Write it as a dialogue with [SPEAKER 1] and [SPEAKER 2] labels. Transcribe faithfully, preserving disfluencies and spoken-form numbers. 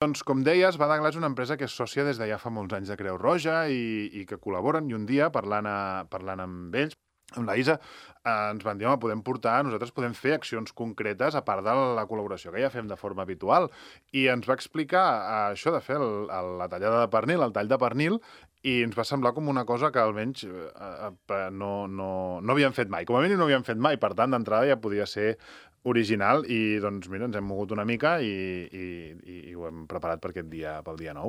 [SPEAKER 1] Doncs, com deies, Badagla és una empresa que és sòcia des de ja fa molts anys de Creu Roja i, i que col·laboren, i un dia, parlant, a, parlant amb ells, amb la Isa, eh, ens van dir, home, podem portar, nosaltres podem fer accions concretes a part de la col·laboració que ja fem de forma habitual. I ens va explicar eh, això de fer el, el, la tallada de pernil, el tall de pernil, i ens va semblar com una cosa que almenys eh, eh, no, no, no havíem fet mai. Com a mínim no havíem fet mai, per tant, d'entrada ja podia ser original i, doncs, mira, ens hem mogut una mica i, i, i ho hem preparat per aquest dia, pel dia nou.